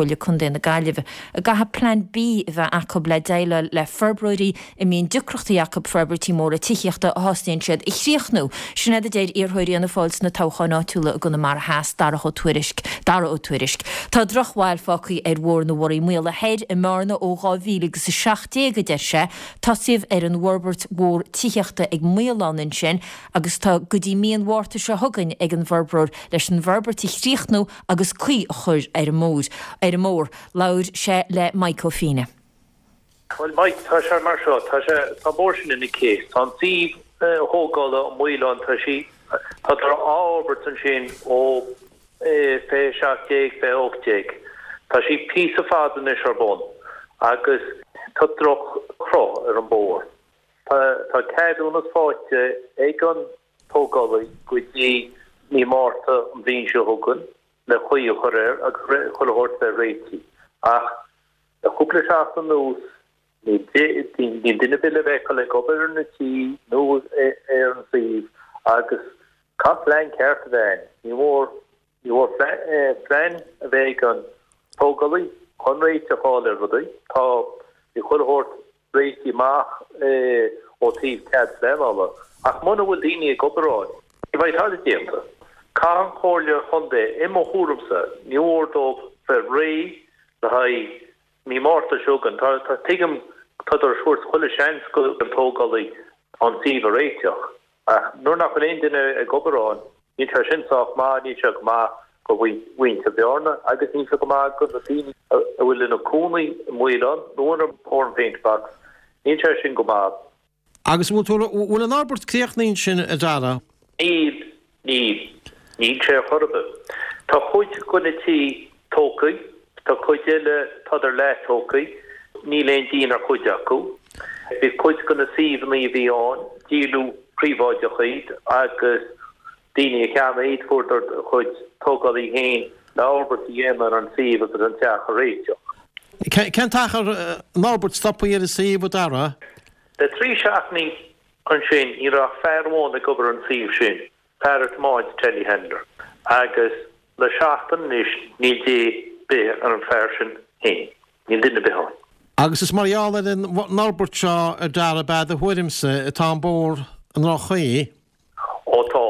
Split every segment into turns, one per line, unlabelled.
Chomhairle Contae na Gaillimhe go gcaithfidh Plean B a bheith acu le déileáil le forbróirí a mbíonn deacrachtaí acu forbairtí móra tithíochta a thosnaíonn siad a chríochnú. Sin iad a deir iarrthóirí Fhianna Fáil sna toghcháin áitiúla i gConamara Theas, Darach Ó Tuairisg. Dara Ó Tuairisg. Tá drochbhail fágtha ar Bhóthar na Bhurraí Maola Thoir i mBearna ó 2017, a deir sé. Tosaíodh ar an bhforbairt mhór tithíochta ag Maolán ansin agus tá go dtí mí an Mhárta seo chugainn ag an bhforbróir leis an bhforbairt a chríochnú agus caoi a chur ar an ar an mbóthar. Labhair sé le Mike Ó Fiaine.
Bhuel Mike, tá sé mar seo, tá sé, tá an bóthar sin ina chéas. Tá an suíomh thógála an Maolán, tá sí, tá á fhorbairt ansin ó 2017, 2018. Tá sí píosa fada anois ar bun agus tá droch-chruth ar an bóthar. Tá, tá ceadúnas faighte ag an tógálaí go dtí mí Márta an bhliain seo chugainn le caoi a chur air agus chuile shórt bheith réitithe. Ach le cúpla seachtain anuas níl duine ar bith le feiceáil ag obair ar na tithe nó ar an suíomh agus caithfidh plean ceart a bheith ann. Ní mór Ní mór plean a bheith ag an tógálaí chun réiteach a fháil ar rudaí. Tá bhí chuile shórt réitithe amach ó taobh cead pleanála ach muna bhfuil daoine ag obair ann, ní bheidh tada déanta. Caithfidh an Chomhairle Chontae, i mo thuairimse, ní mór dóibh bheith réidh le haghaidh mí Márta seo chugainn. Tá, tuigim, tádar ag tabhairt chuile seans don tógálaí an suíomh a réiteach. Ach nuair nach bhfuil aon duine ag obair ann, níl sé sin sách maith, níl sé go maith do mhuintir Bhearna agus níl sé go maith do na daoine a bhfuil ina cónaí i Maolán nó ar an Paintbox, níl sé sin go maith.
Agus an bhfuil tú, bhfuil an fhorbairt críochnaithe ansin, a Dara?
Níl, níl. Níl sé ar chor ar bith. Tá cuid de na tithe tógtha, tá cuid eile, tádar leath-tógtha, níl aon díon ar chuid acu. Bhí cuid de na suíomhanna a bhí ann, díoladh príobháideach iad agus daoine a cheannaigh iad, fuaireadar a gcuid tógálaí féin le fhorbairt a dhéanamh ar an suíomh agus an teach a réiteach.
Cén t-achar an fhorbairt stoptha ar an suíomh, a Dara?
Le 3 seachtainí ansin ní raibh ach fear amháin ag obair ar an suíomh sin. Fear ag tiomáint telehandler agus le seachtain anois níl dé ar bith ar an fear sin féin. Níl duine ar bith ann.
Agus is mar gheall ar an bhforbairt seo a Dara ab ea do thuairimse atá an bóthar i ndroch-chaoi?
Ó tá.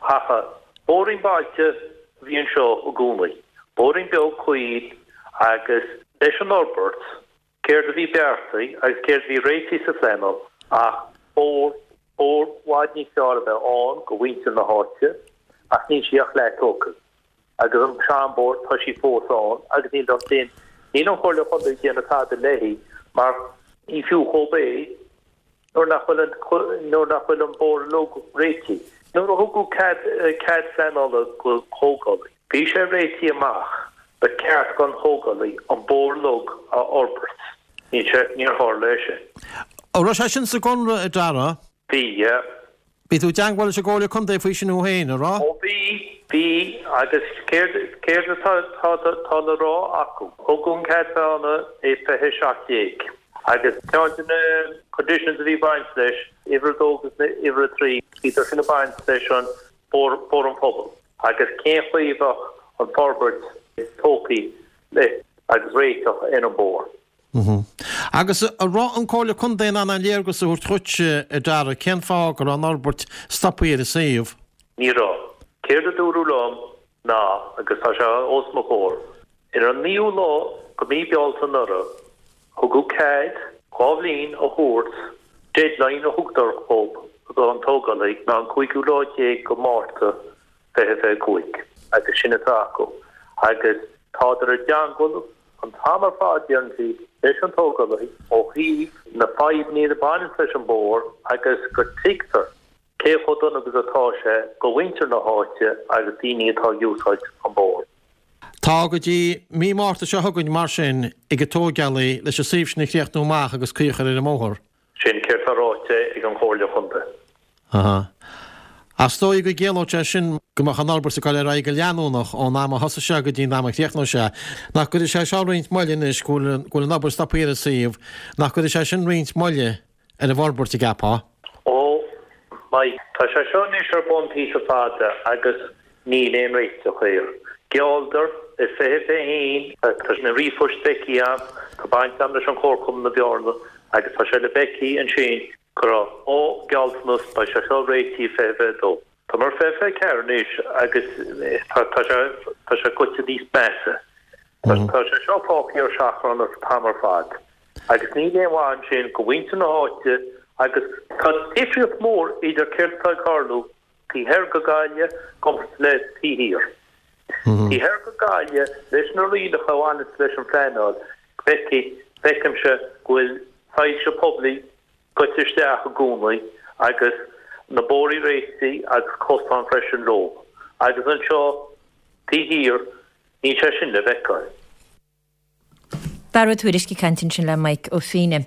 Chaithfeá. Bóithrín bailte a bhí anseo i gcónaí. Bóithrín beag caol agus leis an fhorbairt Céard a bhí beartaithe agus céard a bhí réitithe sa phleanáil ach bóthar, bóthar i bhfad níos fearr a bheith ann go mhuintir na háite ach níl sí ach leath tógtha. Agus an seanbhóthar, tá sí fós ann agus níl an, níl an Chomhairle Chontae ag déanamh tada léi mar ní fiú dhóibh é nuair nach bhfuil an, nuair nach bhfuil an bóthar uilig réitithe. Nuair a thugadh cead, cead pleanála go thógálaí, bhí sé réitithe amach, ba cheart don thógálaí an bóthar uilig a fhorbairt. Níl sé, níor tharla é sin.
An raibh sé sin sa gconradh, a Dara?
Bhí, yeah.
Bhí tú i dteangmháil leis an gComhairle Contae faoi sin thú féin, an raibh?
Ó bhí, bhí, agus céard, céard atá, tá, tá le rá acu? Tugadh an cead pleanála i 2017 agus ceann de na conditions a bhí ag baint leis, uimhir a dó agus uimhir a trí, bhíodar sin ag baint leis an bóthar, bóthar an phobail agus cén chaoi a bheadh an forbairt tógtha le agus réiteach ar an bóthar.
Agus an raibh an Comhairle Contae in ann aon léargas a thabhairt dhuit, a Dara, cén fáth go raibh an fhorbairt stoptha ar an suíomh?
Ní raibh. Céard a dúradh liom ná, agus tá sé os mo chomhair, ar an naoú lá de mhí Bealtaine anuraidh, thugadh cead 2 bhliain a thabhairt, deadline a thugtar dhób, don tógálaí ná an cúigiú lá déag de Mhárta 2025, agus sin atá acu. Agus tádar i dteangmháil an t-am ar fad, deireann siad, leis an tógálaí ó thaobh na fadhbanna a bhaineanns leis an bóthar agus go tuigtear cé chomh dona agus atá sé go mhuintir na háite agus daoine atá ag úsáid an bóthar.
Tá go dtí mí Márta seo chugainn mar sin ag an tógálaí leis an suíomh sin a chríochnú amach agus caoi a chur ar an mbóthar.
Sin céard tá ráite ag an Chomhairle Chontae.
Aha. Ach is dóigh go gciallódh sé sin go mbeadh an fhorbairt ag dul ar aghaidh go leanúnach ón am a thosaigh sé go dtí an am a chríochnóidh sé. Nach gcuirfidh sé seo roinnt moille anois go bhfuil go bhfuil an obair stoptha ar an suíomh, nach gcuirfidh sé sin roinnt moille ar an bhforbairt, an gceapfá?
Ó, Mike, tá sé seo anois ar bun píosa fada agus níl aon réiteach air. Ghealladar. i 2021, tá na ríomhphoist feicthe agam, tá baint agam leis an Chomharchumann na Bearna agus tá sé le feicthe ansin go raibh ó gealltanas beidh sé seo réitithe i 2022. Tá muid ar 2024 anois agus tá sé tá sé goite níos measa. Tá sé seo fágtha ar seachrán an t-am ar fad agus níl aon mhaith ansin go mhuintir na háite agus tá difríocht mhór idir céard atá ag tarlú taobh thoir go Gaillimh gcomparáid le taobh thiar. Taobh thoir go Gaillimh leis na rialacha a bhaineanns leis an phleanáil, feicfidh, feicimse go bhfuil soilse poiblí goite isteach i gcónaí agus na bóithrí réitithe agus cosáin freisin leo. Agus anseo taobh thiar níl sé sin le feiceáil.
Dara Ó Tuairisg ag caint ansin le Mike Ó Feinne.